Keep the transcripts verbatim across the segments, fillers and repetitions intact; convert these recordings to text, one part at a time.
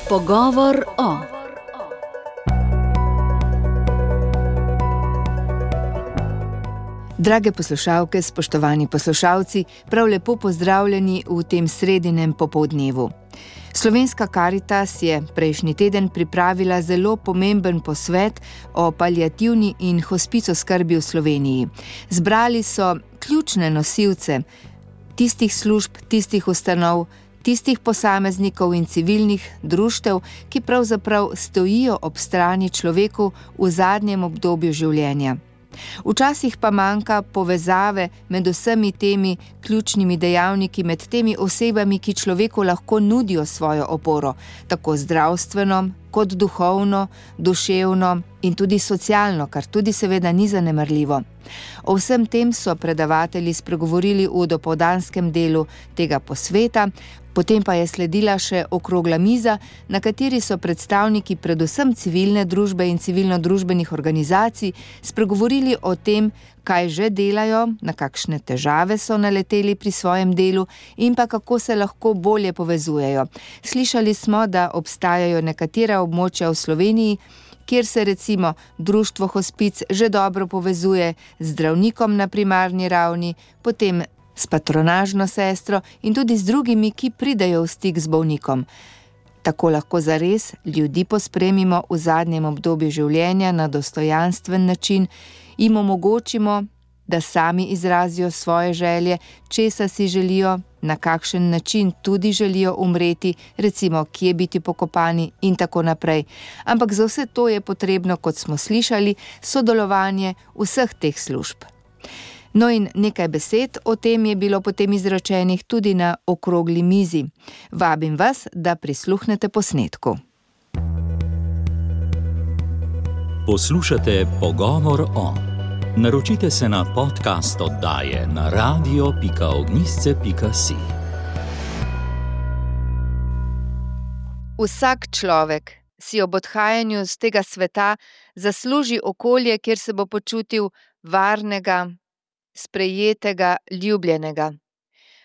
Pogovor o. Drage poslušalke, spoštovani poslušalci, prav lepo pozdravljeni v tem sredinem popoldnevu. Slovenska Karitas je prejšnji teden pripravila zelo pomemben posvet o paliativni in hospic oskrbi v Sloveniji. Zbrali so ključne nosilce tistih služb, tistih ustanov, tistih posameznikov in civilnih društev, ki pravzaprav stojijo ob strani človeku v zadnjem obdobju življenja. Včasih pa manjka povezave med vsemi temi ključnimi dejavniki, med temi osebami, ki človeku lahko nudijo svojo oporo, tako zdravstveno, kot duhovno, duševno in tudi socialno, kar tudi seveda ni zanemarljivo. O vsem tem so predavatelji spregovorili v dopoldanskem delu tega posveta, potem pa je sledila še okrogla miza, na kateri so predstavniki predvsem civilne družbe in civilno-družbenih organizacij spregovorili o tem, kaj že delajo, na kakšne težave so naleteli pri svojem delu in pa kako se lahko bolje povezujejo. Slišali smo, da obstajajo nekatera območja v Sloveniji, kjer se recimo društvo hospic že dobro povezuje z zdravnikom na primarni ravni, potem s patronažno sestro in tudi z drugimi, ki pridejo v stik z bolnikom. Tako lahko zares ljudi pospremimo v zadnjem obdobju življenja na dostojanstven način, jim omogočimo, da sami izrazijo svoje želje, česa si želijo, na kakšen način tudi želijo umreti, recimo kje biti pokopani in tako naprej. Ampak za vse to je potrebno, kot smo slišali, sodelovanje vseh teh služb. No in nekaj besed o tem je bilo potem izrečenih tudi na okrogli mizi. Vabim vas, da prisluhnete posnetku. Poslušate Pogovor o. Naročite se na podcast oddaje na radio pika ognjišče pika si. Vsak človek si ob odhajanju z tega sveta zasluži okolje, kjer se bo počutil varnega, sprejetega, ljubljenega.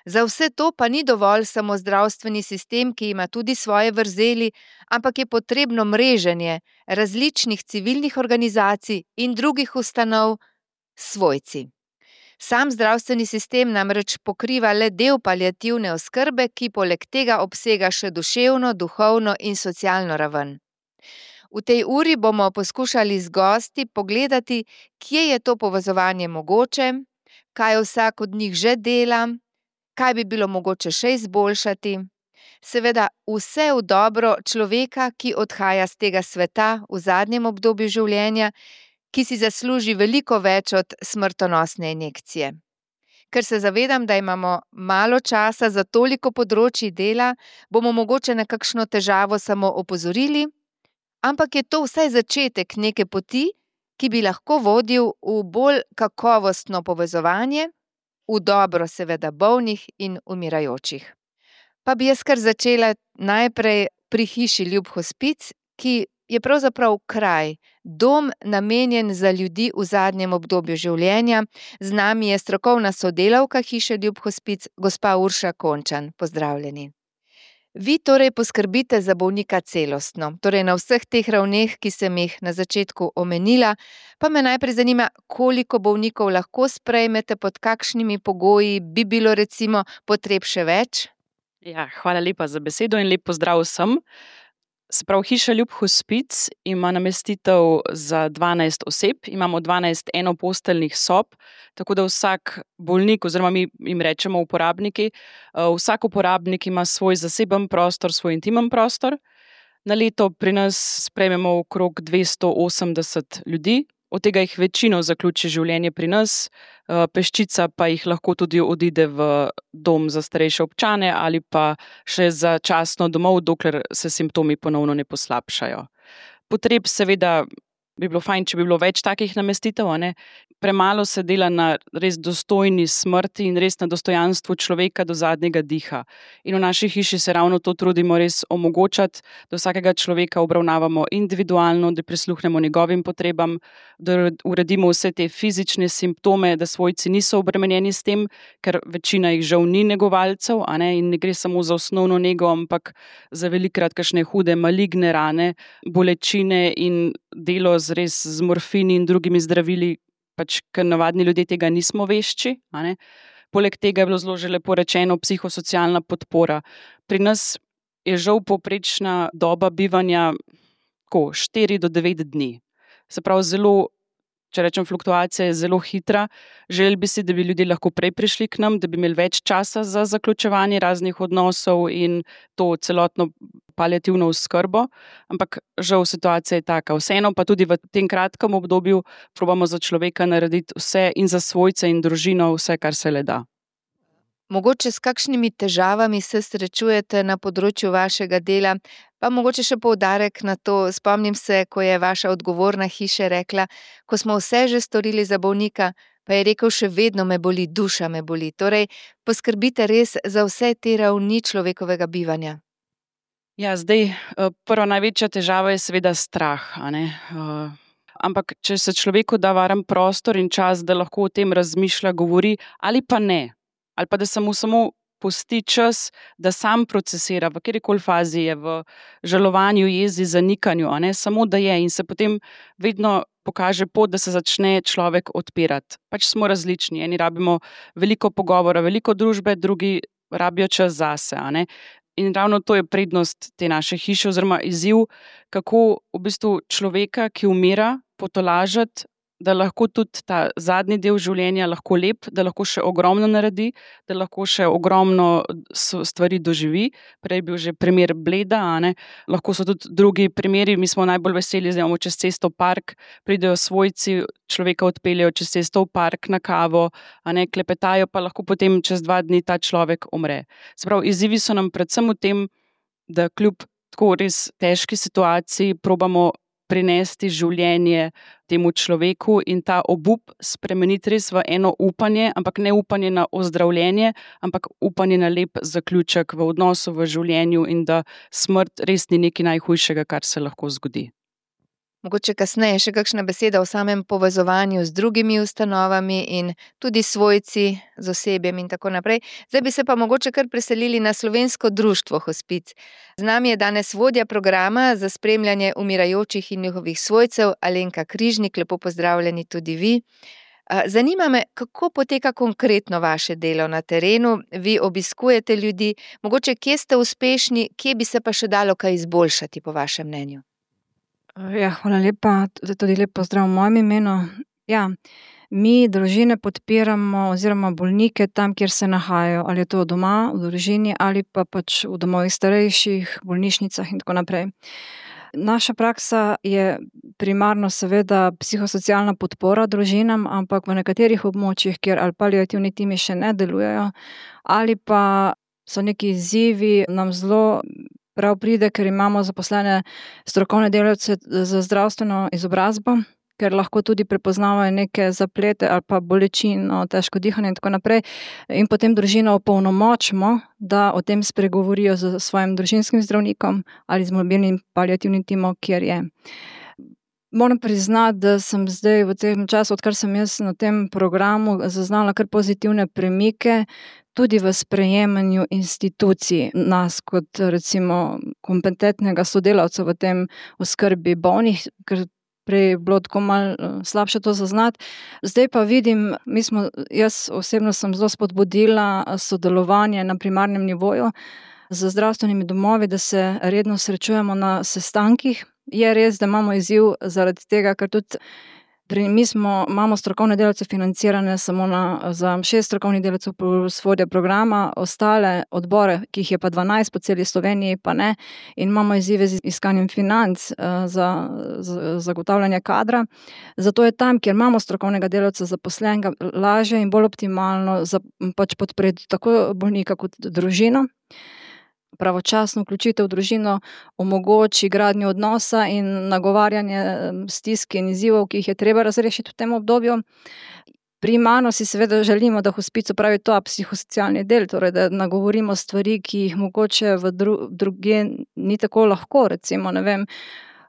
Za vse to pa ni dovolj samo zdravstveni sistem, ki ima tudi svoje vrzeli, ampak je potrebno mreženje različnih civilnih organizacij in drugih ustanov s svojci. Sam zdravstveni sistem namreč pokriva le del paliativne oskrbe, ki poleg tega obsega še duševno, duhovno in socialno raven. V tej uri bomo poskušali z gosti pogledati, kje je to povezovanje mogoče, kaj vsak od njih že dela, kaj bi bilo mogoče še izboljšati. Seveda vse v dobro človeka, ki odhaja z tega sveta v zadnjem obdobju življenja, ki si zasluži veliko več od smrtonosne injekcije. Ker se zavedam, da imamo malo časa za toliko področij dela, bomo mogoče na kakšno težavo samo opozorili, ampak je to vsaj začetek neke poti, ki bi lahko vodil v bolj kakovostno povezovanje, v dobro seveda bolnih in umirajočih. Pa bi jaz kar začela najprej pri hiši Ljub hospic, ki je pravzaprav kraj, dom namenjen za ljudi v zadnjem obdobju življenja. Z nami je strokovna sodelavka hiše Ljub hospic, gospa Urša Končan. Pozdravljeni. Vi torej poskrbite za bolnika celostno, torej na vseh teh ravneh, ki sem jih na začetku omenila, pa me najprej zanima, koliko bolnikov lahko sprejmete, pod kakšnimi pogoji, bi bilo recimo potreb še več? Ja, hvala lepa za besedo in lep pozdrav vsem. Se pravi, hiša Ljub hospic ima namestitev za dvanajst oseb, imamo dvanajst enoposteljnih sob, tako da vsak bolnik, oziroma mi jim rečemo uporabniki, vsak uporabnik ima svoj zaseben prostor, svoj intimen prostor. Na leto pri nas sprejmemo okrog dvesto osemdeset ljudi, od tega jih večino zaključi življenje pri nas, peščica pa jih lahko tudi odide v dom za starejše občane ali pa še začasno domov, dokler se simptomi ponovno ne poslabšajo. Potreb seveda bi bilo fajn, če bi bilo več takih namestitev, a ne. Premalo se dela na res dostojni smrti in res na dostojanstvu človeka do zadnjega diha. In v naši hiši se ravno to trudimo res omogočati, da vsakega človeka obravnavamo individualno, da prisluhnemo njegovim potrebam, da uredimo vse te fizične simptome, da svojci niso obremenjeni s tem, ker večina jih žal ni negovalcev, a ne, in ne gre samo za osnovno nego, ampak za velikokrat kakšne hude maligne rane, bolečine in delo z res z morfini in drugimi zdravili, pač, ker navadni ljudje tega nismo vešči, a ne. Poleg tega je bilo zelo že lepo rečeno psihosocialna podpora. Pri nas je žal povprečna doba bivanja ko, štiri do devet dni. Se pravi, zelo, če rečem, fluktuacija je zelo hitra. Želeli bi si, da bi ljudje lahko prej prišli k nam, da bi imeli več časa za zaključevanje raznih odnosov in to celotno paliativno oskrbo, ampak žal situacija je taka. Vseeno pa tudi v tem kratkem obdobju probamo za človeka narediti vse in za svojce in družino vse, kar se le da. Mogoče s kakšnimi težavami se srečujete na področju vašega dela, pa mogoče še poudarek na to. Spomnim se, ko je vaša odgovorna hiša rekla, ko smo vse že storili za bolnika, pa je rekel, še vedno me boli, duša me boli. Torej, poskrbite res za vse te ravni človekovega bivanja. Ja, zdaj, prva največja težava je seveda strah, a ne. Ampak, če se človeku da varen prostor in čas, da lahko o tem razmišlja, govori, ali pa ne, ali pa da se mu samo pusti čas, da sam procesira, v katerikoli fazi je, v žalovanju, jezi, zanikanju, a ne, samo da je in se potem vedno pokaže pot, da se začne človek odpirati. Pač smo različni, eni rabimo veliko pogovora, veliko družbe, drugi rabijo čas zase, a ne. In ravno to je prednost te naše hiše oziroma izziv, kako v bistvu človeka, ki umira, potolažiti, da lahko tudi ta zadnji del življenja lahko lep, da lahko še ogromno naredi, da lahko še ogromno stvari doživi. Prej je bil že primer Bleda, a ne. Lahko so tudi drugi primeri, mi smo najbolj veseli, da imamo čez cesto park, pridejo svojci, človeka odpeljejo čez cesto v park na kavo, a ne, klepetajo, pa lahko potem čez dva dni ta človek umre. Se pravi, izzivi so nam predvsem v tem, da kljub tako res težki situaciji probamo prinesti življenje temu človeku in ta obup spremeniti res v eno upanje, ampak ne upanje na ozdravljenje, ampak upanje na lep zaključek v odnosu, v življenju in da smrt res ni nekaj najhujšega, kar se lahko zgodi. Mogoče kasneje še kakšna beseda o samem povezovanju z drugimi ustanovami in tudi svojci z osebjem in tako naprej. Zdaj bi se pa mogoče kar preselili na Slovensko društvo Hospic. Z nami je danes vodja programa za spremljanje umirajočih in njihovih svojcev, Alenka Križnik, lepo pozdravljeni tudi vi. Zanima me, kako poteka konkretno vaše delo na terenu, vi obiskujete ljudi, mogoče kje ste uspešni, kje bi se pa še dalo kaj izboljšati po vašem mnenju? Ja, hvala lepa, tudi lep pozdrav v mojem imenu. Ja, mi družine podpiramo oziroma bolnike tam, kjer se nahajajo, ali je to doma, v družini, ali pa pač v domovih starejših, bolnišnicah in tako naprej. Naša praksa je primarno seveda psihosocialna podpora družinam, ampak v nekaterih območjih, kjer ali paliativni timi še ne delujejo, ali pa so neki izzivi, nam zelo prav pride, ker imamo zaposlene strokovne delavce za zdravstveno izobrazbo, ker lahko tudi prepoznavajo neke zaplete ali pa bolečino, težko dihanje in tako naprej. In potem družino opolnomočimo, da o tem spregovorijo s svojim družinskim zdravnikom ali z mobilnim paliativnim timom, kjer je. Moram priznati, da sem zdaj v tem času, odkar sem jaz na tem programu, zaznala kar pozitivne premike, tudi v sprejemanju institucij nas kot recimo kompetentnega sodelavca v tem oskrbi bolnih, ker prej je bilo tako malo slabše to zaznati. Zdaj pa vidim, mi smo, jaz osebno sem zelo spodbudila sodelovanje na primarnem nivoju z zdravstvenimi domovi, da se redno srečujemo na sestankih. Je res, da imamo izziv zaradi tega, ker tudi pri, mi smo, imamo strokovne delavce financirane samo na, za šest strokovnih delavcev plus vodja programa, ostale odbore, ki jih je pa dvanajst po celi Sloveniji, pa ne, in imamo izzive z iskanjem financ uh, za, za zagotavljanje kadra. Zato je tam, kjer imamo strokovnega delavca zaposlenega, lažje in bolj optimalno za, pač podpreti tako bolnika kot družino. pravočasno vključitev v družino omogoči gradnjo odnosa in nagovarjanje stisk in izzivov, ki jih je treba razrešiti v tem obdobju. Primarno si seveda želimo, da hospic opravi to psihosocialni del, torej da nagovorimo stvari, ki jih mogoče v dru, druge ni tako lahko, recimo, ne vem,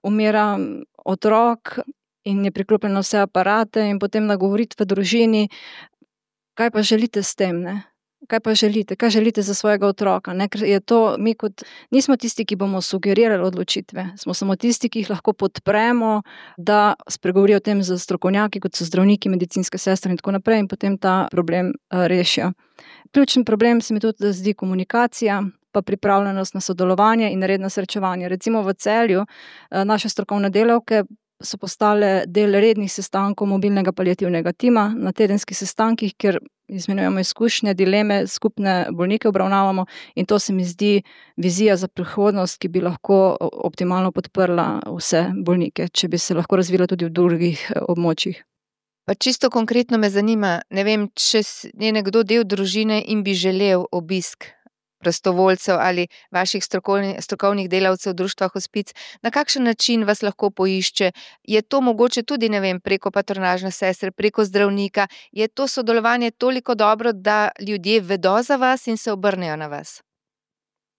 umira otrok in je priklopljen na vse aparate in potem nagovoriti v družini, kaj pa želite s tem, ne? Kaj pa želite, kaj želite za svojega otroka, ne? Ker je to, mi kot, nismo tisti, ki bomo sugerirali odločitve, smo samo tisti, ki jih lahko podpremo, da spregovorijo o tem z strokovnjaki, kot so zdravniki, medicinske sestre in tako naprej in potem ta problem uh, rešijo. Ključen problem se mi tudi zdi komunikacija, pa pripravljenost na sodelovanje in redno srečevanje. Recimo v Celju uh, naše strokovne delavke so postale del rednih sestankov mobilnega paliativnega tima na tedenskih sestankih, kjer izmenjujemo izkušnje, dileme, skupne bolnike obravnavamo in to se mi zdi vizija za prihodnost, ki bi lahko optimalno podprla vse bolnike, če bi se lahko razvila tudi v drugih območjih. Pa čisto konkretno me zanima, ne vem, če je nekdo del družine in bi želel obisk prostovoljcev ali vaših strokovnih, strokovnih delavcev društva Hospic, na kakšen način vas lahko poišče? Je to mogoče tudi, ne vem, preko patronažne sestre, preko zdravnika? Je to sodelovanje toliko dobro, da ljudje vedo za vas in se obrnejo na vas?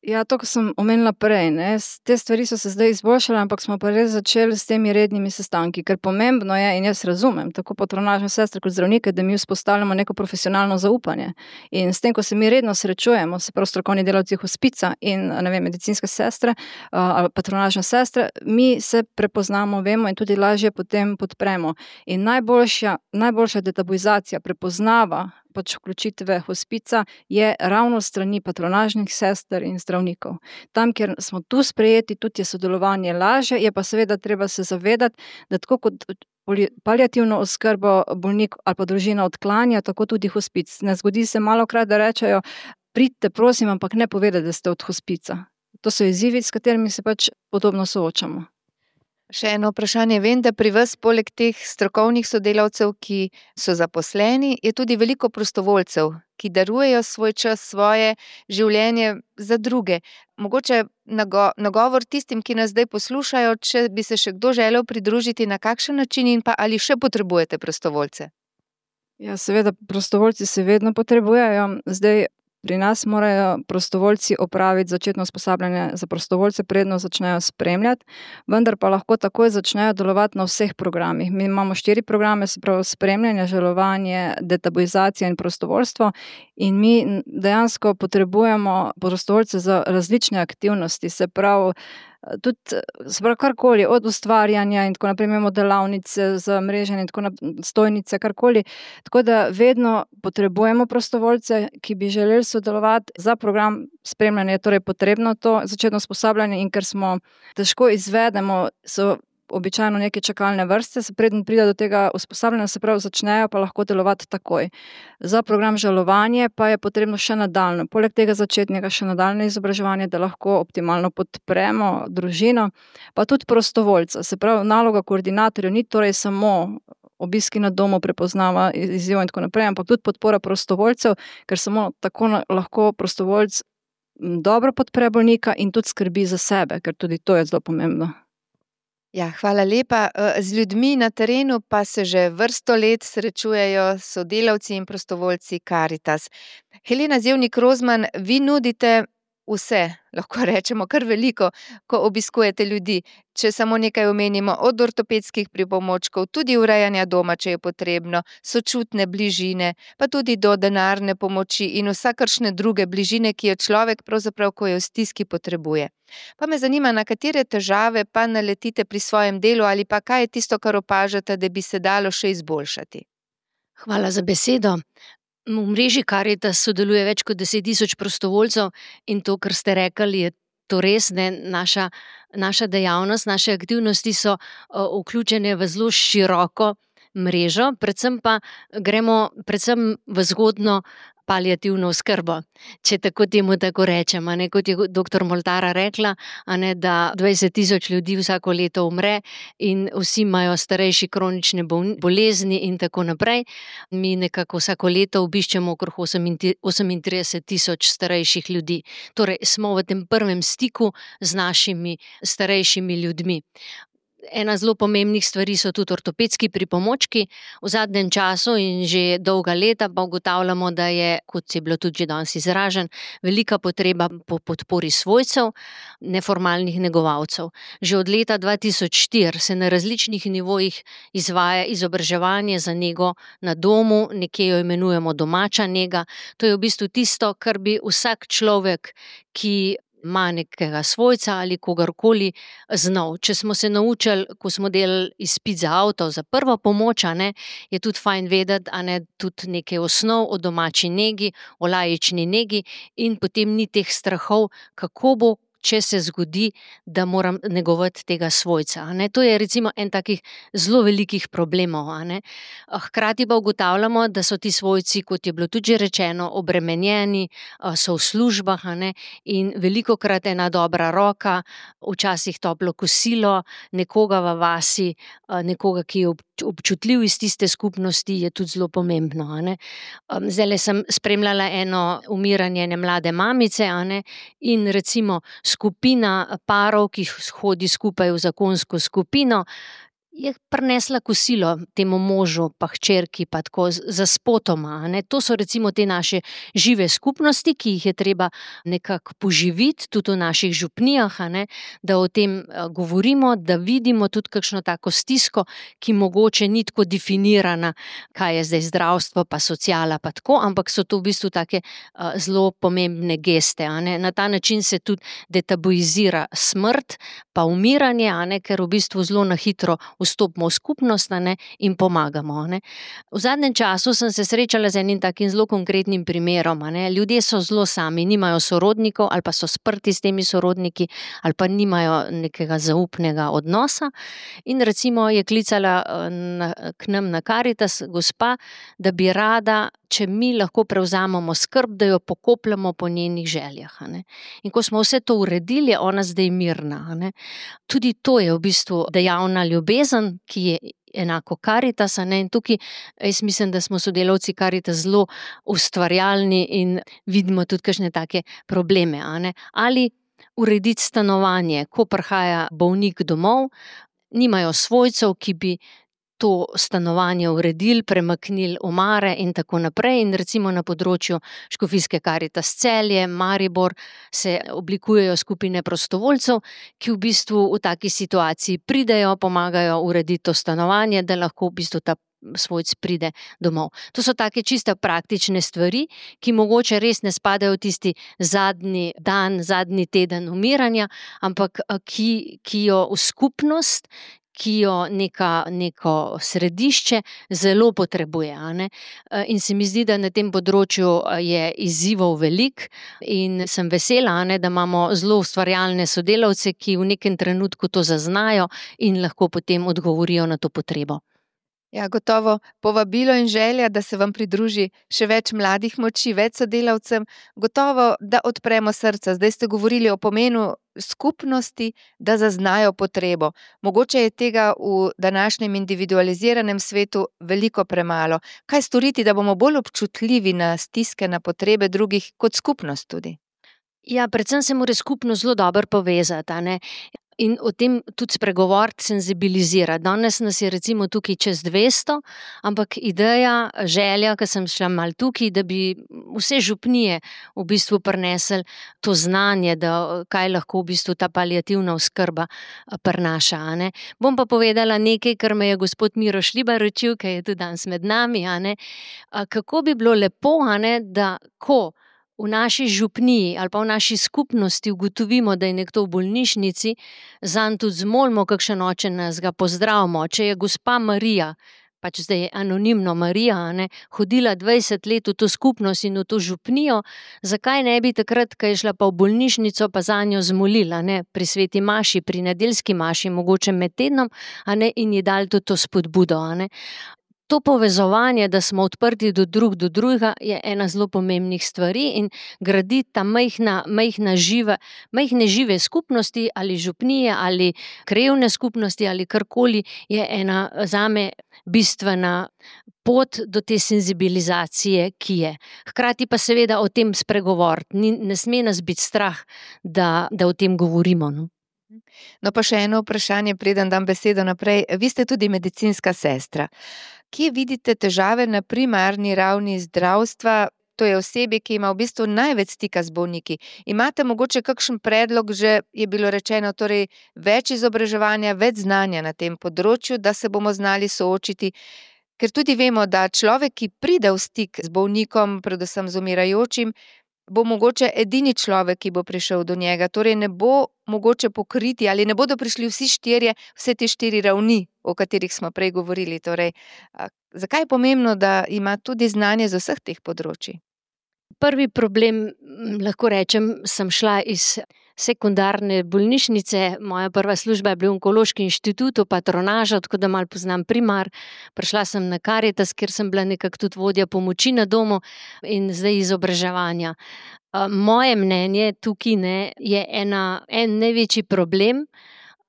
Ja, to, ko sem omenila prej, ne, te stvari so se zdaj izboljšale, ampak smo pa res začeli s temi rednimi sestanki, ker pomembno je, in jaz razumem, tako patronažne sestre kot zdravnike, da mi vzpostavljamo neko profesionalno zaupanje. In s tem, ko se mi redno srečujemo, se prav strokovni delavci Hospica in, ne vem, medicinske sestre ali patronažne sestre, mi se prepoznamo, vemo in tudi lažje potem podpremo. In najboljša, najboljša detabuizacija, prepoznava pač vključitve Hospica je ravno strani patronažnih sester in zdravnikov. Tam, kjer smo tu sprejeti, tudi je sodelovanje lažje, je pa seveda treba se zavedati, da tako kot paliativno oskrbo bolnik ali pa družina odklanja, tako tudi Hospic. Ne zgodi se malokrat, da rečejo, pridite prosim, ampak ne povedati, da ste od Hospica. To so izzivi, s katerimi se pač podobno soočamo. Še eno vprašanje, vem, da pri vas poleg teh strokovnih sodelavcev, ki so zaposleni, je tudi veliko prostovoljcev, ki darujejo svoj čas, svoje življenje za druge. Mogoče nago, nagovor tistim, ki nas zdaj poslušajo, če bi se še kdo želel pridružiti, na kakšen način in pa ali še potrebujete prostovoljce? Ja, seveda, prostovoljci se vedno potrebujejo. Zdaj, pri nas morajo prostovoljci opraviti začetno usposabljanje za prostovoljce, predno začnejo spremljati, vendar pa lahko takoj začnejo delovati na vseh programih. Mi imamo štiri programe, se pravi spremljanje, žalovanje, detabuizacija in prostovoljstvo in mi dejansko potrebujemo prostovoljce za različne aktivnosti, se pravi tudi, se pravi, karkoli, od ustvarjanja in tako naprej, imamo delavnice za mreženje in tako naprej, stojnice, karkoli. Tako da vedno potrebujemo prostovoljce, ki bi želeli sodelovati. Za program spremljanja je torej potrebno to začetno usposabljanje in ker smo težko izvedemo, so običajno neke čakalne vrste, se preden pride do tega usposabljanja, se pravi začnejo pa lahko delovati takoj. Za program žalovanje pa je potrebno še nadaljno, poleg tega začetnega še nadaljne izobraževanje, da lahko optimalno podpremo družino, pa tudi prostovoljca. Se pravi, naloga koordinatorjev ni torej samo obiski na domu, prepoznava izziv in tako naprej, ampak tudi podpora prostovoljcev, ker samo tako lahko prostovoljc dobro podpre bolnika in tudi skrbi za sebe, ker tudi to je zelo pomembno. Ja, hvala lepa. Z ljudmi na terenu pa se že vrsto let srečujejo sodelavci in prostovoljci Karitas. Helena Zevnik Rozman, vi nudite vse, lahko rečemo kar veliko, ko obiskujete ljudi. Če samo nekaj omenimo, od ortopedskih pripomočkov, tudi urejanja doma, če je potrebno, sočutne bližine, pa tudi do denarne pomoči in vsakršne druge bližine, ki jo človek pravzaprav, ko je v stiski, potrebuje. Pa me zanima, na katere težave pa naletite pri svojem delu ali pa kaj je tisto, kar opažate, da bi se dalo še izboljšati. Hvala za besedo. V mreži Karitas sodeluje več kot deset tisoč prostovoljcev in to, kar ste rekli, je to res, ne, naša, naša dejavnost, naše aktivnosti so uh, vključene v zelo široko mrežo, predvsem pa gremo predvsem v zgodno paliativno oskrbo, če tako temu tako rečem, a ne, kot je doktor Moltara rekla, a ne, da dvajset tisoč ljudi vsako leto umre in vsi imajo starejši kronične bolezni in tako naprej. Mi nekako vsako leto obiščemo okrog osemintrideset tisoč starejših ljudi. Torej, smo v tem prvem stiku z našimi starejšimi ljudmi. Ena zelo pomembnih stvari so tudi ortopedski pripomočki. V zadnjem času in že dolga leta pa ugotavljamo, da je, kot je bilo tudi že danes izražen, velika potreba po podpori svojcev, neformalnih negovalcev. Že od leta dva tisoč štiri se na različnih nivojih izvaja izobraževanje za nego na domu, nekje jo imenujemo domača nega. To je v bistvu tisto, kar bi vsak človek, ki ima nekega svojca ali kogarkoli znal. Če smo se naučili, ko smo delali izpit za avto, za prvo pomoč, a ne, je tudi fajn vedeti, a ne, tudi nekaj osnov o domači negi, o laični negi in potem ni teh strahov, kako bo, če se zgodi, da moram negovati tega svojca. A ne. To je recimo en takih zelo velikih problemov. A ne. Hkrati pa ugotavljamo, da so ti svojci, kot je bilo tudi že rečeno, obremenjeni, so v službah, a ne, in velikokrat ena dobra roka, včasih toplo kosilo, nekoga v vasi, nekoga, ki je občutljiv iz tiste skupnosti, je tudi zelo pomembno. A ne. Zdajle sem spremljala eno umiranje ene mlade mamice, a ne, in recimo skupina parov, ki hodi skupaj v zakonsko skupino, je prinesla kosilo temu možu pa hčerki pa tako za spotoma. Ne. To so recimo te naše žive skupnosti, ki jih je treba nekako poživiti tudi v naših župnijah, a ne, da o tem govorimo, da vidimo tudi kakšno tako stisko, ki mogoče ni tako definirana, kaj je zdaj zdravstvo pa sociala pa tako, ampak so to v bistvu take uh, zelo pomembne geste. A ne. Na ta način se tudi detabuizira smrt pa umiranje, a ne, ker v bistvu zelo na hitro vstopimo v skupnost, ne, in pomagamo. Ne. V zadnjem času sem se srečala z enim takim zelo konkretnim primerom. Ne. Ljudje so zelo sami, nimajo sorodnikov ali pa so sprti s temi sorodniki ali pa nimajo nekega zaupnega odnosa in recimo je klicala na, k nam na Karitas gospa, da bi rada, če mi lahko prevzamemo skrb, da jo pokopljamo po njenih željah. A ne. In ko smo vse to uredili, je ona zdaj mirna. A ne. Tudi to je v bistvu dejavna ljubezen, ki je enako Karitas, a ne, in tukaj jaz mislim, da smo sodelavci Karitas zelo ustvarjalni in vidimo tudi kakšne take probleme. A ne. Ali urediti stanovanje, ko prihaja bolnik domov, nimajo svojcev, ki bi to stanovanje uredili, premaknili omare in tako naprej. In recimo na področju Škofijske Karitas Celje, Maribor se oblikujejo skupine prostovoljcev, ki v bistvu v taki situaciji pridejo, pomagajo urediti to stanovanje, da lahko v bistvu ta svojc pride domov. To so take čisto praktične stvari, ki mogoče res ne spadajo v tisti zadnji dan, zadnji teden umiranja, ampak ki, ki jo v skupnost, ki jo neka, neko središče zelo potrebuje. A ne? In se mi zdi, da na tem področju je izzivov velik in sem vesela, a ne, da imamo zelo ustvarjalne sodelavce, ki v nekem trenutku to zaznajo in lahko potem odgovorijo na to potrebo. Ja, gotovo povabilo in želja, da se vam pridruži še več mladih moči, več sodelavcem, gotovo, da odpremo srca. Zdaj ste govorili o pomenu skupnosti, da zaznajo potrebo. Mogoče je tega v današnjem individualiziranem svetu veliko premalo. Kaj storiti, da bomo bolj občutljivi na stiske, na potrebe drugih kot skupnost tudi? Ja, predvsem se mora skupnost zelo dobro povezati, a ne? In o tem tudi spregovoriti, senzibilizirati. Danes nas je recimo tukaj čez dvesto, ampak ideja, želja, ki sem šla malo tukaj, da bi vse župnije v bistvu prinesli to znanje, da kaj lahko v bistvu ta paliativna oskrba prinaša. A ne. Bom pa povedala nekaj, kar me je gospod Miro Šlibar učil, ki je tudi danes med nami, a ne. Kako bi bilo lepo, a ne, da ko v naši župniji ali pa v naši skupnosti ugotovimo, da je nekdo v bolnišnici, zanj tudi zmolimo kakšen oče, nas ga pozdravimo. Če je gospa Marija, pač zdaj je anonimno Marija, ne, hodila dvajset let v to skupnost in v to župnijo, zakaj ne bi takrat, ko je šla pa v bolnišnico, pa zanjo zmolila, ne, pri sveti maši, pri nedeljski maši, mogoče med tednom, a ne, in ji dali tudi to spodbudo, a ne. to povezovanje, da smo odprti do drug do drugega, je ena zelo pomembnih stvari in graditi ta majhna, majhna žive, majhne žive skupnosti ali župnije ali krajevne skupnosti ali karkoli je ena zame bistvena pot do te senzibilizacije, ki je. Hkrati pa seveda o tem spregovoriti. Ni, ne sme nas biti strah, da, da o tem govorimo. No? No pa še eno vprašanje, preden dam besedo naprej. Vi ste tudi medicinska sestra. Kje vidite težave na primarni ravni zdravstva? To je osebje, ki ima v bistvu največ stika z bolniki. Imate mogoče kakšen predlog, že je bilo rečeno, torej več izobraževanja, več znanja na tem področju, da se bomo znali soočiti? Ker tudi vemo, da človek, ki pride v stik z bolnikom, predvsem z umirajočim, bo mogoče edini človek, ki bo prišel do njega. Torej ne bo mogoče pokriti ali ne bodo prišli vsi štirje, vse te štiri ravni, o katerih smo prej govorili. Torej, zakaj je pomembno, da ima tudi znanje z vseh teh področij? Prvi problem, lahko rečem, sem šla iz sekundarne bolnišnice, moja prva služba je bil v Onkološki inštitut, patronaža, tako da malo poznam primar. Prišla sem na Karitas, kjer sem bila nekako tudi vodja pomoči na domu in zdaj izobraževanja. Moje mnenje tukaj ne, je ena, en največji problem,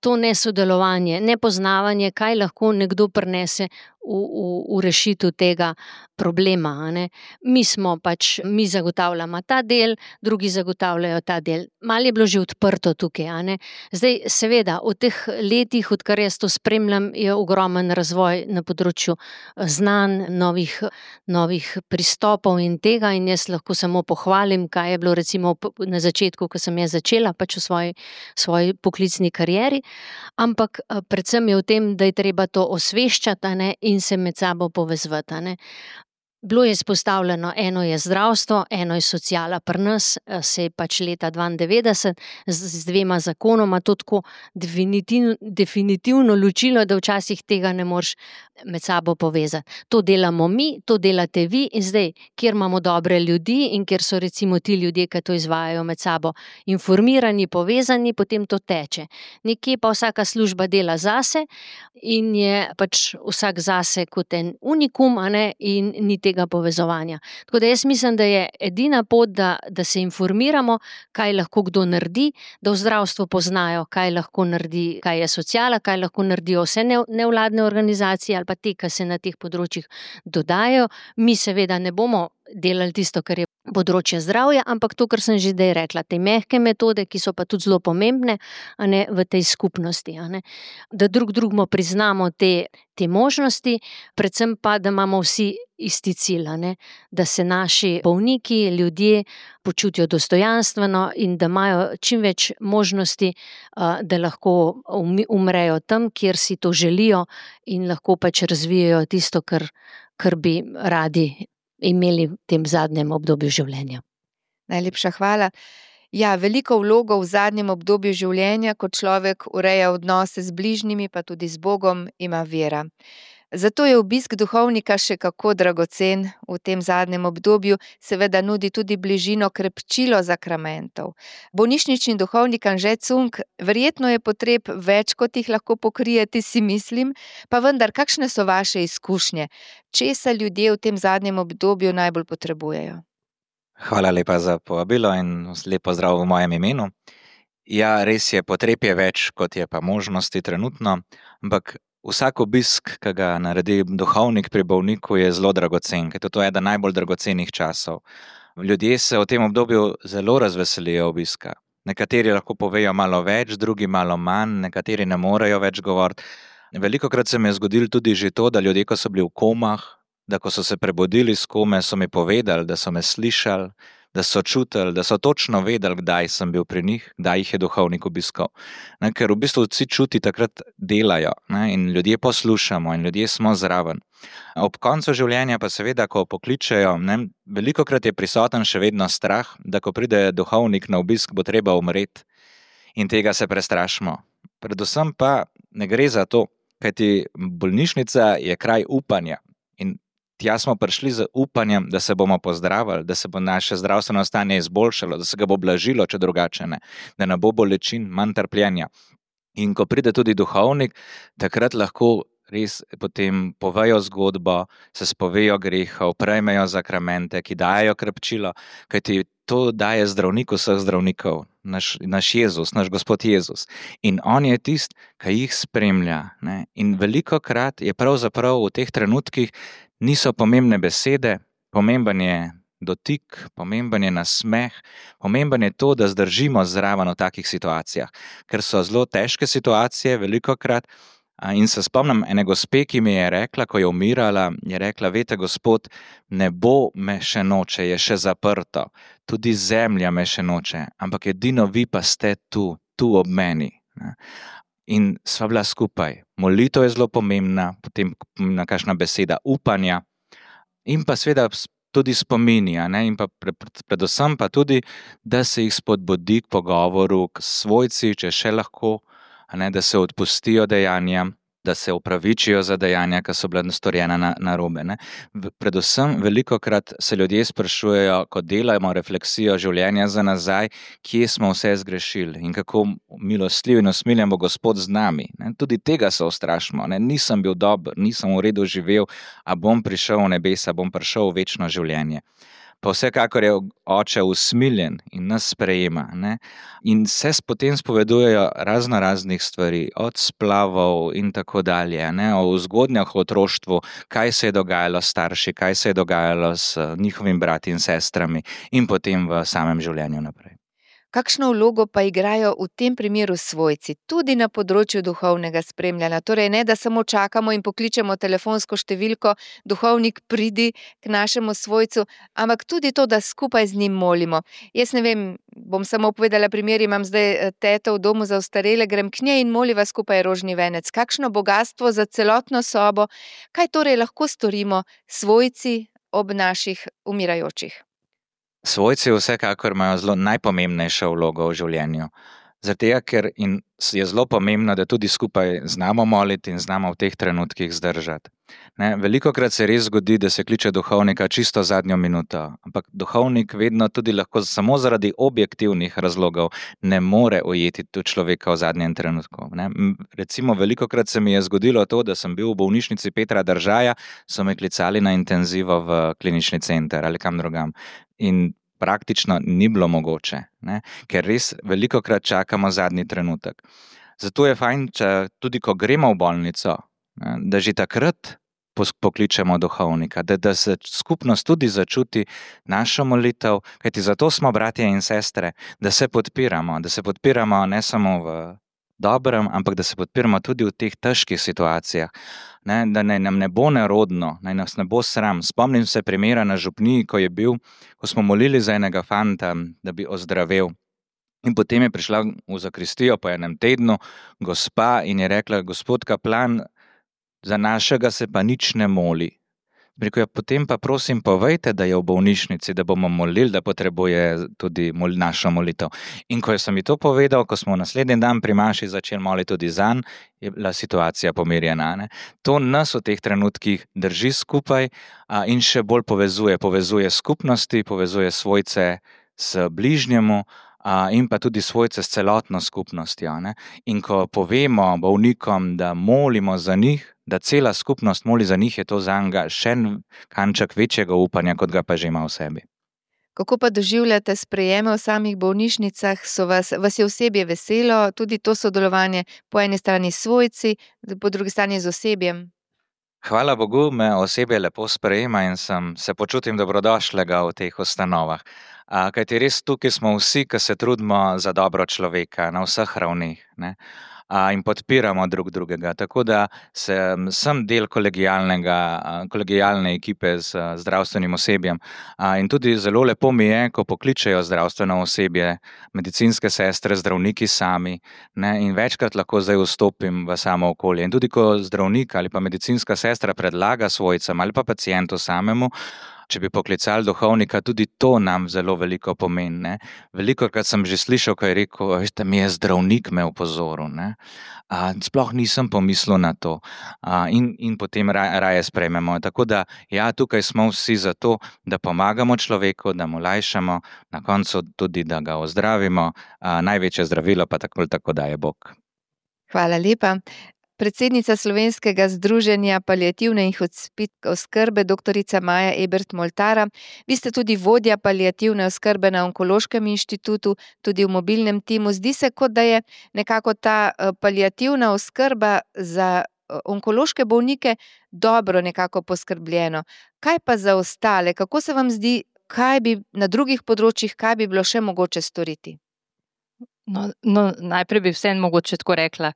to nesodelovanje, nepoznavanje, kaj lahko nekdo prinese v, v, v rešitev tega problema. Ne? Mi smo pač, mi zagotavljamo ta del, drugi zagotavljajo ta del. Malo je bilo že odprto tukaj. A ne? Zdaj, seveda, v teh letih, odkar jaz to spremljam, je ogromen razvoj na področju znanj, novih, novih pristopov in tega in jaz lahko samo pohvalim, kaj je bilo recimo na začetku, ko sem jaz začela pač v svoji, svoji poklicni karieri, ampak predvsem je v tem, da je treba to osveščati, a ne, in se med sabo povezvati. Ne. Bilo je izpostavljeno, eno je zdravstvo, eno je sociala. Pri nas se je pač leta dvaindevetdeset z, z dvema zakonoma to tako definitivno, definitivno ločilo, da včasih tega ne moreš med sabo povezati. To delamo mi, to delate vi in zdaj, kjer imamo dobre ljudi in kjer so recimo ti ljudje, ki to izvajajo med sabo informirani, povezani, potem to teče. Nekje pa vsaka služba dela zase in je pač vsak zase kot en unikum, a ne, in ni tega povezovanja. Tako da jaz mislim, da je edina pot, da, da se informiramo, kaj lahko kdo naredi, da v zdravstvu poznajo, kaj lahko naredi, kaj je sociala, kaj lahko naredijo vse nevladne organizacije ali pa te, ki se na teh področjih dodajo. Mi seveda ne bomo delali tisto, kar je področje zdravja, ampak to, kar sem že zdaj rekla, te mehke metode, ki so pa tudi zelo pomembne, a ne, v tej skupnosti. A ne. Da drug drugmu priznamo te, te možnosti, predvsem pa, da imamo vsi isti cilj, a ne, da se naši bolniki, ljudje počutijo dostojanstveno in da imajo čim več možnosti, da lahko umrejo tam, kjer si to želijo in lahko pač razvijajo tisto, kar, kar bi radi imeli v tem zadnjem obdobju življenja. Najlepša hvala. Ja, veliko vlogo v zadnjem obdobju življenja, ko človek ureja odnose z bližnjimi, pa tudi z Bogom, ima vera. Zato je obisk duhovnika še kako dragocen v tem zadnjem obdobju, seveda nudi tudi bližino, krepčilo zakramentov. Bolnišnični duhovnik Anže Cunk, verjetno je potreb več, kot jih lahko pokrijete, si mislim, pa vendar, kakšne so vaše izkušnje? Česa ljudje v tem zadnjem obdobju najbolj potrebujejo? Hvala lepa za povabilo in lep pozdrav v mojem imenu. Ja, res je, potreb je več, kot je pa možnosti trenutno, ampak vsak obisk, ki ga naredi duhovnik pri bolniku, je zelo dragocen, ker to je eden najbolj dragocenih časov. Ljudje se v tem obdobju zelo razveselijo obiska. Nekateri lahko povejo malo več, drugi malo manj, nekateri ne morejo več govoriti. Velikokrat se mi je zgodilo tudi že to, da ljudje, ko so bili v komah, da ko so se prebudili s kome, so mi povedali, da so me slišali, da so čutili, da so točno vedeli, kdaj sem bil pri njih, kdaj jih je duhovnik obiskal. Ne, ker v bistvu vsi čuti takrat delajo, ne, in ljudje poslušamo in ljudje smo zraven. Ob koncu življenja pa seveda, ko pokličejo, ne, velikokrat je prisoten še vedno strah, da ko pride duhovnik na obisk, bo treba umreti in tega se prestrašimo. Predvsem pa ne gre za to, kajti bolnišnica je kraj upanja in tja smo prišli z upanjem, da se bomo pozdravili, da se bo naše zdravstveno stanje izboljšalo, da se ga bo blažilo, če drugače ne, da ne bo bolečin, manj trpljenja. In ko pride tudi duhovnik, takrat lahko res potem povejo zgodbo, se spovejo grehov, prejmejo zakramente, ki dajo krepčilo, kajti to daje zdravnik vseh zdravnikov, naš, naš Jezus, naš Gospod Jezus. In on je tist, ki jih spremlja. Ne? In velikokrat je pravzaprav v teh trenutkih niso pomembne besede, pomemben je dotik, pomemben je nasmeh, pomemben je to, da zdržimo zraven v takih situacijah, ker so zelo težke situacije velikokrat. In se spomnim ene gospe, ki mi je rekla, ko je umirala, je rekla, veste, Gospod, nebo me še noče, je še zaprto, tudi zemlja me še noče, ampak edino vi pa ste tu, tu ob meni. In sva bila skupaj. Molitev je zelo pomembna, potem na kakšna beseda upanja in pa seveda tudi spomini, a ne? In pa predvsem pa tudi, da se jih spodbudi k pogovoru, k svojci, če še lahko, a ne? Da se odpustijo dejanja, da se upravičijo za dejanja, ki so bila storjena na, narobe. Ne? Predvsem velikokrat se ljudje sprašujejo, ko delamo refleksijo življenja za nazaj, kje smo vse zgrešili in kako milostljiv in usmiljen bo Gospod z nami. Ne? Tudi tega se ustrašimo. Ne? Nisem bil dober, nisem v redu živel, a bom prišel v nebesa, bom prišel v večno življenje. Pa vsekakor je oče usmiljen in nas sprejema. Ne? In se potem spovedujejo razno raznih stvari, od splavov in tako dalje, ne? O zgodnjah v otroštvu, kaj se je dogajalo s starši, kaj se je dogajalo s njihovimi brati in sestrami in potem v samem življenju naprej. Kakšno vlogo pa igrajo v tem primeru svojci, tudi na področju duhovnega spremljanja? Torej ne, da samo čakamo in pokličemo telefonsko številko, duhovnik pridi k našemu svojcu, ampak tudi to, da skupaj z njim molimo. Jaz ne vem, bom samo povedala primer, imam zdaj teto v domu za ostarele, grem k njej in moliva skupaj rožni venec. Kakšno bogastvo za celotno sobo, kaj torej lahko storimo svojci ob naših umirajočih? Svojci vsekakor imajo zelo najpomembnejšo vlogo v življenju. Zato, ker in je zelo pomembno, da tudi skupaj znamo moliti in znamo v teh trenutkih zdržati. Ne, velikokrat se res zgodi, da se kliče duhovnika čisto zadnjo minuto, ampak duhovnik vedno tudi lahko samo zaradi objektivnih razlogov ne more ujeti tu človeka v zadnjem trenutku. Ne. Recimo, velikokrat se mi je zgodilo to, da sem bil v bolnišnici Petra Držaja, so me klicali na intenzivo v klinični center ali kam drugam. In praktično ni bilo mogoče, ne? Ker res velikokrat čakamo zadnji trenutek. Zato je fajn, če tudi ko gremo v bolnico, ne, da že takrat pokličemo duhovnika, da, da se skupnost tudi začuti našo molitev, kajti zato smo bratje in sestre, da se podpiramo, da se podpiramo ne samo v dobrem, ampak da se podpiramo tudi v teh težkih situacijah. Ne, da ne, nam ne bo nerodno, naj nas ne bo sram. Spomnim se primera na župniji, ko je bil, ko smo molili za enega fanta, da bi ozdravel. In potem je prišla v zakristijo po enem tednu gospa in je rekla, gospod kaplan, za našega se pa nič ne moli. Rekel je, potem pa prosim povejte, da je v bolnišnici, da bomo molili, da potrebuje tudi mol, našo molitev. In ko sem mi to povedal, ko smo naslednji dan pri maši začeli moliti tudi zanj, je bila situacija pomirjena. Ne? To nas v teh trenutkih drži skupaj a, in še bolj povezuje. Povezuje skupnosti, povezuje svojce s bližnjemu a, in pa tudi svojce s celotno skupnostjo. Ne? In ko povemo bolnikom, da molimo za njih, da cela skupnost moli za njih, je to zanga še kanček večjega upanja, kot ga pa že ima v sebi. Kako pa doživljate sprejeme v samih bolnišnicah? So vas, vas je osebje veselo, tudi to sodelovanje po eni strani s svojci, po drugi strani z osebjem? Hvala Bogu, me osebje lepo sprejema in sem, se počutim dobrodošlega v teh ustanovah. A, kajti res tukaj smo vsi, ki se trudimo za dobro človeka na vseh ravnih, ne? A, in podpiramo drug drugega, tako da sem, sem del kolegijalnega, kolegijalne ekipe z zdravstvenim osebjem. A, in tudi zelo lepo mi je, ko pokličejo zdravstveno osebje, medicinske sestre, zdravniki sami, ne, in večkrat lahko zdaj vstopim v samo okolje. In tudi ko zdravnik ali pa medicinska sestra predlaga svojcem ali pa pacientu samemu, če bi poklicali duhovnika, tudi to nam zelo veliko pomeni. Ne. Velikokrat sem že slišal, ko je rekel, veste, mi je zdravnik me opozoril. Ne. A, sploh nisem pomislil na to. A, in, in potem raje, raje sprejmemo. Tako da, ja, tukaj smo vsi zato, da pomagamo človeku, da mu lajšamo, na koncu tudi, da ga ozdravimo. A, največje zdravilo pa tako, tako daje Bog. Hvala lepa. Predsednica Slovenskega združenja paliativne in hospic oskrbe, doktorica Maja Ebert-Moltara. Vi ste tudi vodja paliativne oskrbe na Onkološkem inštitutu, tudi v mobilnem timu. Zdi se, kot da je nekako ta paliativna oskrba za onkološke bolnike dobro nekako poskrbljeno. Kaj pa za ostale? Kako se vam zdi, kaj bi na drugih področjih, kaj bi bilo še mogoče storiti? No, no, najprej bi vseeno mogoče tako rekla.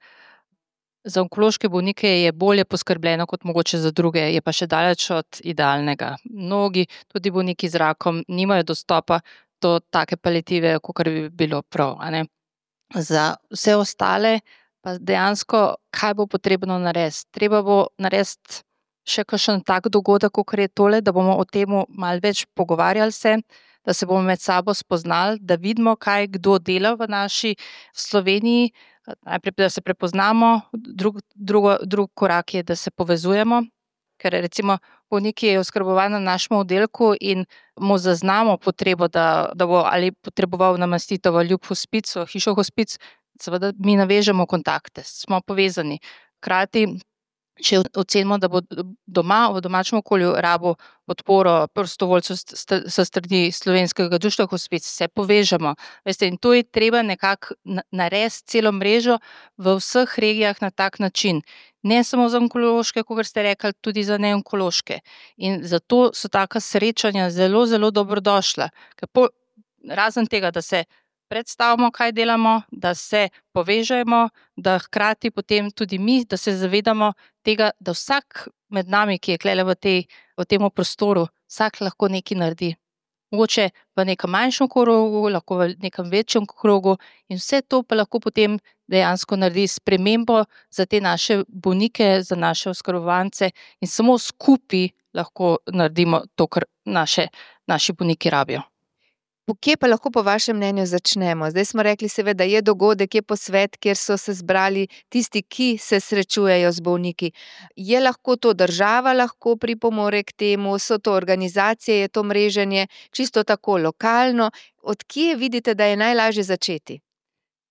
Za onkološke bolnike je bolje poskrbljeno kot mogoče za druge, je pa še daleč od idealnega. Mnogi, tudi bolniki z rakom, nimajo dostopa do take paliative, kakor bi bilo prav. A ne? Za vse ostale pa dejansko, kaj bo potrebno narediti? Treba bo narediti še kakšen tak dogodek, kakor je tole, da bomo o tem malo več pogovarjali se, da se bomo med sabo spoznali, da vidimo, kaj kdo dela v naši Sloveniji. Najprej, da se prepoznamo, drug, drugo, drug korak je, da se povezujemo, ker recimo bolnik je oskrbovan na našem oddelku in mu zaznamo potrebo, da, da bo ali potreboval namestitev v ljub hospic, v hišo hospic, seveda mi navežemo kontakte, smo povezani. Hkrati, če ocenimo, da bo doma, v domačem okolju rabo podporo prostovoljcev s strani Slovenskega društva hospic, se povežemo. Veste, in to je treba nekako narediti celo mrežo v vseh regijah na tak način. Ne samo za onkološke, kot ste rekli, tudi za neonkološke. In zato so taka srečanja zelo, zelo dobrodošla. Po, razen tega, da se predstavimo, kaj delamo, da se povežemo, da hkrati potem tudi mi, da se zavedamo tega, da vsak med nami, ki je klele v, tej, v tem prostoru, vsak lahko nekaj naredi. Mogoče v nekem manjšem krogu, lahko v nekem večjem krogu in vse to pa lahko potem dejansko naredi spremembo za te naše bolnike, za naše oskrbovance in samo skupaj lahko naredimo to, kar naše, naši bolniki rabijo. Kje pa lahko po vašem mnenju začnemo? Zdaj smo rekli seveda, je dogodek, je posvet, kjer so se zbrali tisti, ki se srečujejo z bolniki. Je lahko to država lahko pripomore k temu, so to organizacije, je to mreženje, čisto tako lokalno. Od kje vidite, da je najlažje začeti?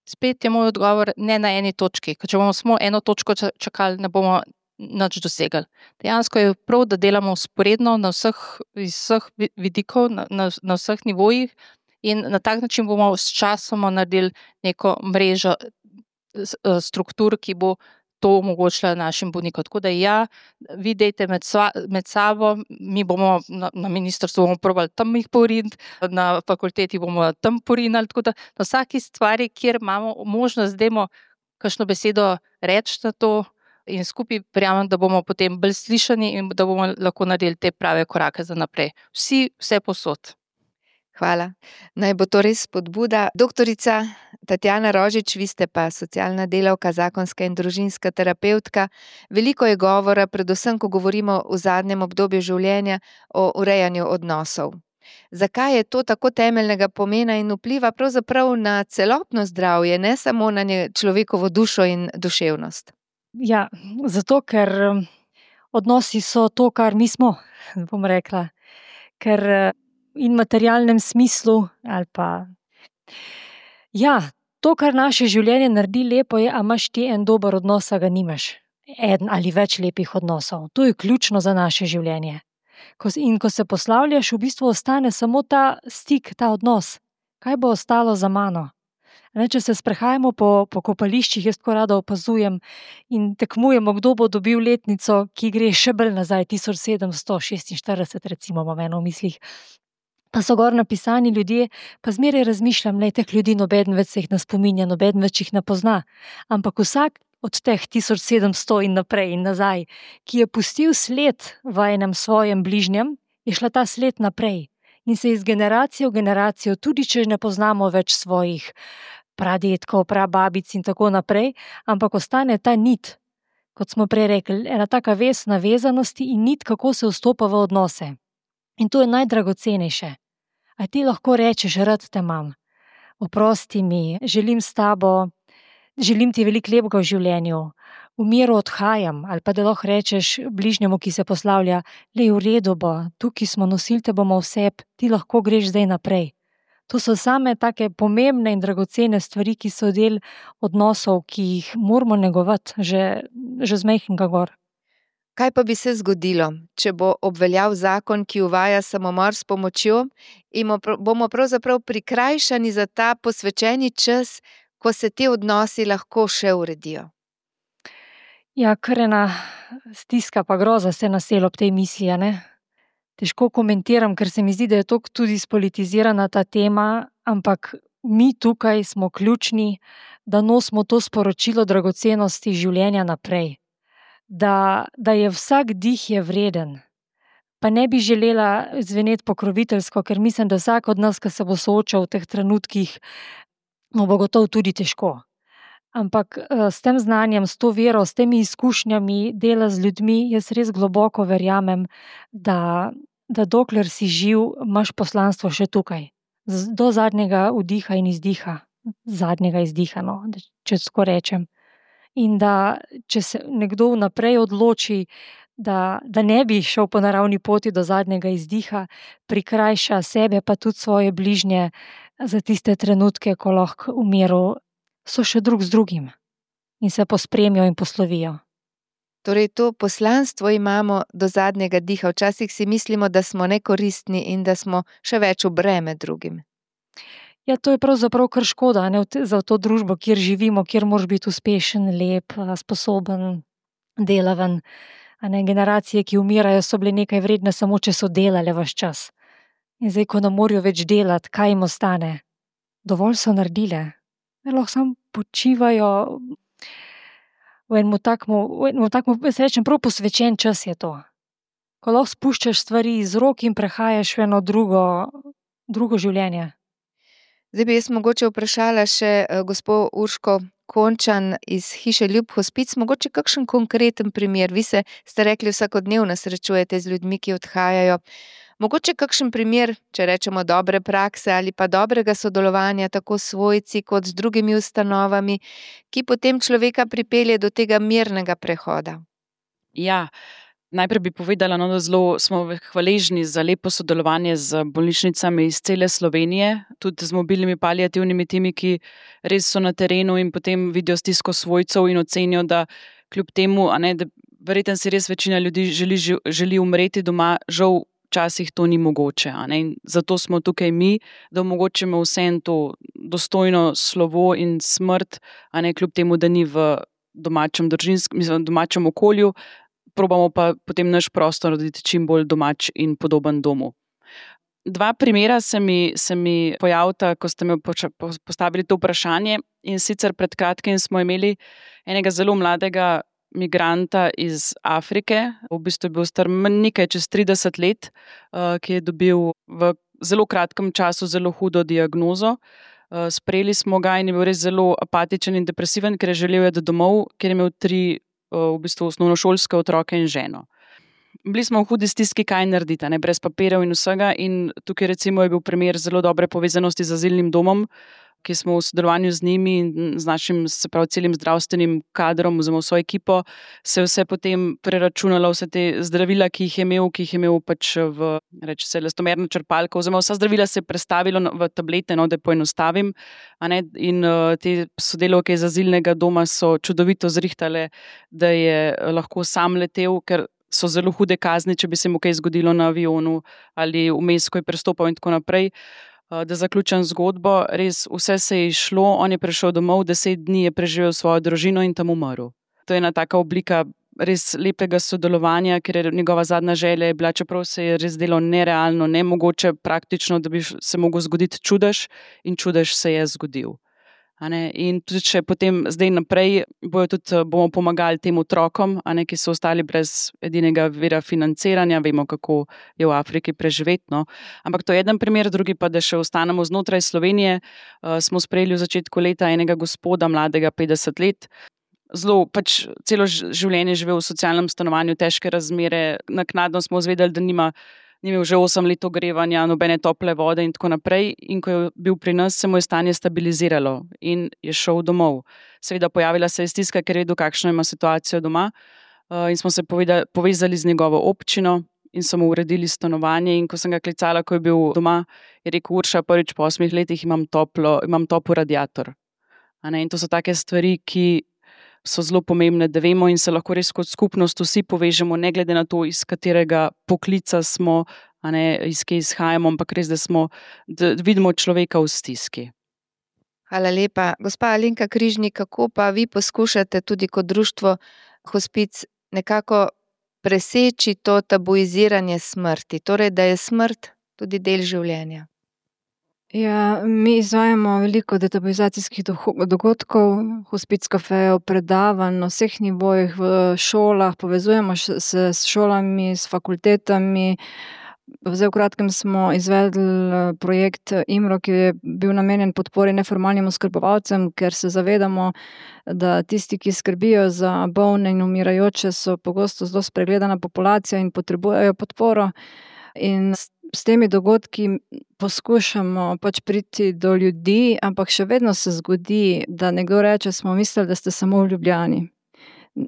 Spet je moj odgovor ne na eni točki, ker če bomo samo eno točko čakali, ne bomo nič dosegli. Dejansko je prav, da delamo vzporedno na vseh, iz vseh vidikov, na, na, na vseh nivojih in na tak način bomo s časom naredili neko mrežo struktur, ki bo to omogočila našim bolnikom. Tako da ja, vi dejte med, sva, med sabo, mi bomo na, na ministrstvu bomo probali tam jih poriniti, na fakulteti bomo tam porinali, tako da na vsaki stvari, kjer imamo možnost, dajmo kakšno besedo reči na to, in skupaj verjamem, da bomo potem bolj slišani in da bomo lahko naredili te prave korake za naprej. Vsi, vse posod. Hvala. Naj bo to res spodbuda. Doktorica Tatjana Rožič, vi ste pa socialna delavka, zakonska in družinska terapevtka. Veliko je govora, predvsem, ko govorimo v zadnjem obdobju življenja, o urejanju odnosov. Zakaj je to tako temeljnega pomena in vpliva pravzaprav na celotno zdravje, ne samo na človekovo dušo in duševnost? Ja, zato, ker odnosi so to, kar mi smo, bom rekla. Ker in v materialnem smislu, ali pa... Ja, to, kar naše življenje naredi lepo je, a imaš ti en dober odnos, a ga nimaš. Eden ali več lepih odnosov. To je ključno za naše življenje. In ko se poslavljaš, v bistvu ostane samo ta stik, ta odnos. Kaj bo ostalo za mano? Ne, če se sprehajamo po, po kopališčih, jaz tako rada opazujem in tekmujemo, kdo bo dobil letnico, ki gre še bolj nazaj, tisoč sedemsto šestinštirideset recimo, imam eno v mislih. Pa so gor napisani ljudje, pa zmeraj razmišljam, ne, teh ljudi nobeden več se jih ne spominja, nobeden več jih ne pozna. Ampak vsak od teh tisoč sedemsto in naprej in nazaj, ki je pustil sled v enem svojem bližnjem, je šla ta sled naprej. In se iz generacije v generacijo, tudi če ne poznamo več svojih pradetkov, prababic in tako naprej, ampak ostane ta nit, kot smo prej rekli, ena taka vez navezanosti in nit, kako se vstopa v odnose. In to je najdragocenejše. A ti lahko rečeš, rad te imam, oprosti mi, želim s tabo, želim ti veliko lepega v življenju, v miru odhajam, ali pa da lahko rečeš bližnjemu, ki se poslavlja, lej, v redu bo, tukaj smo, nosili te bomo vse, ti lahko greš zdaj naprej. To so same take pomembne in dragocene stvari, ki so del odnosov, ki jih moramo negovati že, že z majhnega gor. Kaj pa bi se zgodilo, če bo obveljal zakon, ki uvaja samomor s pomočjo in bomo pravzaprav prikrajšani za ta posvečeni čas, ko se ti odnosi lahko še uredijo? Ja, kar ena stiska pa groza se naseli ob tej misli, a ne? Težko komentiram, ker se mi zdi, da je toliko tudi spolitizirana ta tema, ampak mi tukaj smo ključni, da nosimo to sporočilo dragocenosti življenja naprej. Da, da je vsak dih je vreden. Pa ne bi želela zveneti pokroviteljsko, ker mislim, da vsak od nas, ki se bo soočal v teh trenutkih, mu bo gotovo tudi težko. Ampak s tem znanjem, s to vero, s temi izkušnjami dela z ljudmi, jaz res globoko verjamem, da, da dokler si živ, imaš poslanstvo še tukaj. Do zadnjega vdiha in izdiha. Zadnjega izdiha, no, če tako rečem. In da, če se nekdo vnaprej odloči, da, da ne bi šel po naravni poti do zadnjega izdiha, prikrajša sebe pa tudi svoje bližnje za tiste trenutke, ko lahko v miru so še drug z drugim in se pospremijo in poslovijo. Torej, to poslanstvo imamo do zadnjega diha. Včasih si mislimo, da smo nekoristni in da smo še več v breme drugim. Ja, to je pravzaprav kar škoda, ne, za to družbo, kjer živimo, kjer moraš biti uspešen, lep, sposoben, delaven. A ne, generacije, ki umirajo, so bile nekaj vredne samo, če so delale ves čas. In zdaj, ko ne morajo več delati, kaj jim ostane? Dovolj so naredile. Ne, lahko samo počivajo v enem takmu, v enem takmu, jaz rečem, prav posvečen čas je to. Ko lahko spuščaš stvari iz rok in prehajaš v eno drugo, drugo življenje. Zdaj bi jaz mogoče vprašala še gospo Urško Končan iz hiše Ljub Hospic, mogoče kakšen konkreten primer. Vi se, ste rekli, vsakodnevno srečujete z ljudmi, ki odhajajo. Mogoče kakšen primer, če rečemo dobre prakse ali pa dobrega sodelovanja tako s svojci kot z drugimi ustanovami, ki potem človeka pripelje do tega mirnega prehoda. Ja, najprej bi povedala, no, da zelo smo hvaležni za lepo sodelovanje z bolnišnicami iz cele Slovenije, tudi z mobilnimi paliativnimi timi, ki res so na terenu in potem vidijo stisko svojcev in ocenijo, da kljub temu, a ne, da verjetno si res večina ljudi želi, želi umreti doma, žal včasih to ni mogoče. A ne, in zato smo tukaj mi, da omogočimo vsem to dostojno slovo in smrt, a ne, kljub temu, da ni v domačem, družinskem, mislim, domačem okolju, probamo pa potem naš prostor narediti čim bolj domač in podoben domu. Dva primera se mi, se mi pojavita, ko ste me postavili to vprašanje, in sicer pred kratkim smo imeli enega zelo mladega migranta iz Afrike, v bistvu je bil star nekaj čez trideset let, ki je dobil v zelo kratkem času zelo hudo diagnozo. Sprejeli smo ga in je bil res zelo apatičen in depresiven, ker je želel iti domov, ker je imel tri v bistvu osnovnošolske otroke in ženo. Bili smo v hudi stiski, kaj narediti, ne, brez papirjev in vsega, in tukaj recimo je bil primer zelo dobre povezanosti z azilnim domom, ki smo v sodelovanju z njimi in z našim, se pravi, celim zdravstvenim kadrom oziroma vso ekipo, se vse potem preračunalo, vse te zdravila, ki jih je imel, ki jih je imel pač v, reče se, elastomerno črpalko, oziroma vsa zdravila se je prestavilo v tablete, no, da poenostavim, a ne, in uh, te sodelavke iz azilnega doma so čudovito zrihtale, da je lahko sam letel, ker so zelo hude kazni, če bi se mu kaj zgodilo na avionu ali vmes, ko je prestopal in tako naprej. Da zaključim zgodbo, res vse se je išlo, on je prišel domov, deset dni je preživel svojo družino in tam umrl. To je ena taka oblika res lepega sodelovanja, ker je njegova zadnja želja je bila, čeprav se je res delo nerealno, nemogoče praktično, da bi se mogel zgoditi čudež, in čudež se je zgodil. A ne? In tudi če potem zdaj naprej bojo tudi, bomo pomagali tem otrokom, a ne, ki so ostali brez edinega vira financiranja, vemo, kako je v Afriki preživeti. No? Ampak to je eden primer, drugi pa, da še ostanemo znotraj Slovenije. Uh, smo sprejeli v začetku leta enega gospoda, mladega petdeset let, zelo pač celo življenje živel v socialnem stanovanju, težke razmere, naknadno smo izvedeli, da nima ni imel že osem let ogrevanja, nobene tople vode in tako naprej, in ko je bil pri nas, se mu je stanje stabiliziralo in je šel domov. Seveda pojavila se je stiska, ker je vedel, kakšno ima situacijo doma, in smo se povedali, povezali z njegovo občino in so mu uredili stanovanje. In ko sem ga klicala, ko je bil doma, je rekel: Urša, prvič po osmih letih imam toplo, imam topel radiator. A ne? In to so take stvari, ki so zelo pomembne, da vemo in se lahko res kot skupnost vsi povežemo, ne glede na to, iz katerega poklica smo, a ne, iz kje izhajamo, ampak res, da smo, da vidimo človeka v stiski. Hvala lepa. Gospa Alenka Križnik, kako pa vi poskušate tudi kot društvo Hospic nekako preseči to tabuiziranje smrti, torej da je smrt tudi del življenja? Ja, mi izvajamo veliko detabuizacijskih dogodkov, hospic kafejev, predavanj na vseh nivojih v šolah, povezujemo se s šolami, s fakultetami. Zdaj v kratkem smo izvedli projekt IMRO, ki je bil namenjen podpori neformalnim oskrbovalcem, ker se zavedamo, da tisti, ki skrbijo za bolne in umirajoče, so pogosto zelo spregledana populacija in potrebujejo podporo. In s, s temi dogodki poskušamo pač priti do ljudi, ampak še vedno se zgodi, da nekdo reče: smo mislili, da ste samo v Ljubljani.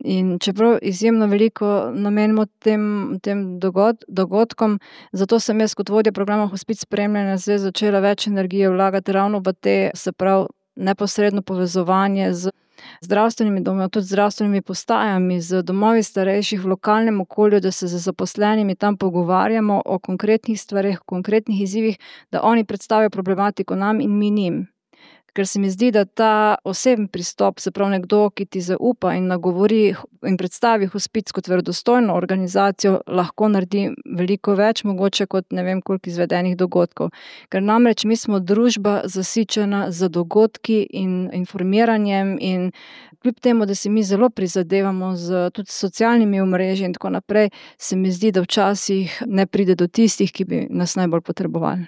In čeprav izjemno veliko namenimo tem, tem dogod, dogodkom, zato sem jaz kot vodja programa Hospic spremljanja zdaj začela več energije vlagati ravno v te, se pravi, neposredno povezovanje z zdravstvenimi domovi, tudi zdravstvenimi postajami, z domovi starejših v lokalnem okolju, da se z zaposlenimi tam pogovarjamo o konkretnih stvareh, o konkretnih izzivih, da oni predstavijo problematiko nam in mi njim. Ker se mi zdi, da ta osebni pristop, se pravi nekdo, ki ti zaupa in nagovori in predstavi Hospic kot verodostojno organizacijo, lahko naredi veliko več, mogoče kot ne vem koliko izvedenih dogodkov. Ker namreč mi smo družba zasičena z dogodki in informiranjem in kljub temu, da si mi zelo prizadevamo z tudi socialnimi omrežji in tako naprej, se mi zdi, da včasih ne pride do tistih, ki bi nas najbolj potrebovali.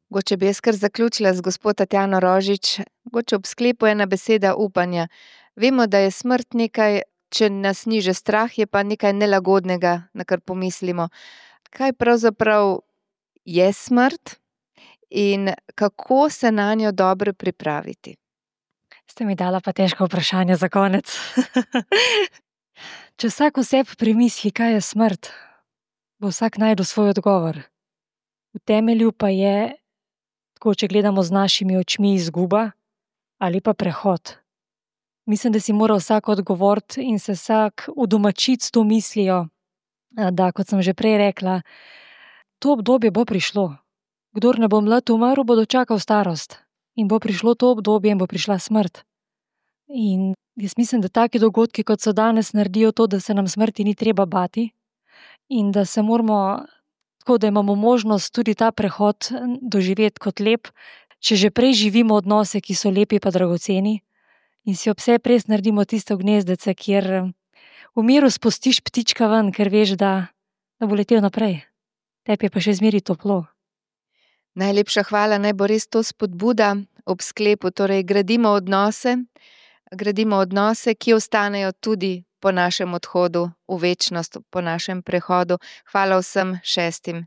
Mogoče bi jaz kar zaključila z gospod Tatjano Rožič. Mogoče ob sklepu ena beseda upanja. Vemo, da je smrt nekaj, če nas ni že strah, je pa nekaj nelagodnega, na kar pomislimo. Kaj pravzaprav je smrt in kako se na njo dobro pripraviti? Ste mi dala pa težko vprašanje za konec. Če vsak oseb premisli, kaj je smrt, bo vsak našel svoj odgovor. V temelju pa je, tako če gledamo z našimi očmi, izguba ali pa prehod. Mislim, da si mora vsak odgovoriti in se vsak udomačiti s to mislijo, da, kot sem že prej rekla, to obdobje bo prišlo. Kdor ne bo mlad umrl, bo dočakal starost. In bo prišlo to obdobje in bo prišla smrt. In jaz mislim, da taki dogodki, kot so danes, naredijo to, da se nam smrti ni treba bati in da se moramo, tako da imamo možnost tudi ta prehod doživeti kot lep, če že prej živimo odnose, ki so lepi pa dragoceni in si ob vse prej naredimo tisto gnezdece, kjer v miru spustiš ptička ven, ker veš, da, da bo letel naprej. Tebi je pa še zmeri toplo. Najlepša hvala, naj bo res to spodbuda ob sklepu, torej gradimo odnose, gradimo odnose, ki ostanejo tudi po našem odhodu v večnost, po našem prehodu. Hvala vsem šestim.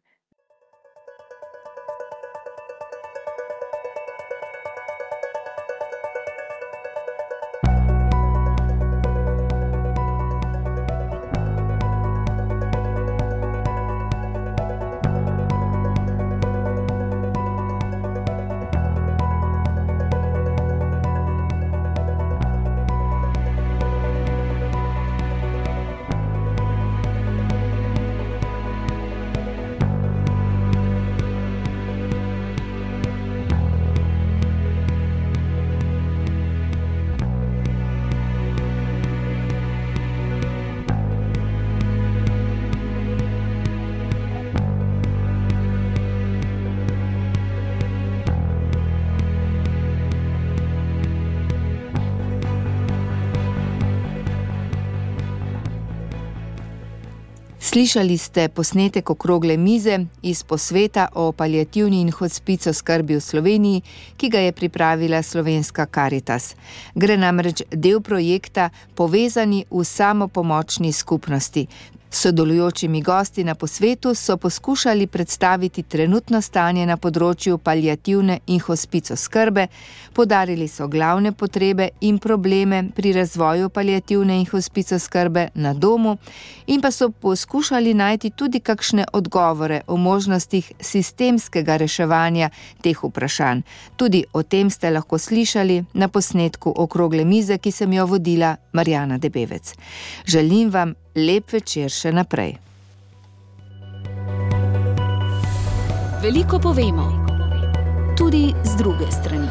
Slišali ste posnetek okrogle mize iz posveta o paliativni in hospic oskrbi v Sloveniji, ki ga je pripravila Slovenska Karitas. Gre namreč del projekta Povezani v samopomočni skupnosti. Sodelujočimi gosti na posvetu so poskušali predstaviti trenutno stanje na področju paliativne in hospic oskrbe, poudarili so glavne potrebe in probleme pri razvoju paliativne in hospic oskrbe na domu in pa so poskušali najti tudi kakšne odgovore o možnostih sistemskega reševanja teh vprašanj. Tudi o tem ste lahko slišali na posnetku okrogle mize, ki sem jo vodila Marjana Debevec. Želim vam lep večer še naprej. Veliko povemo, tudi z druge strani.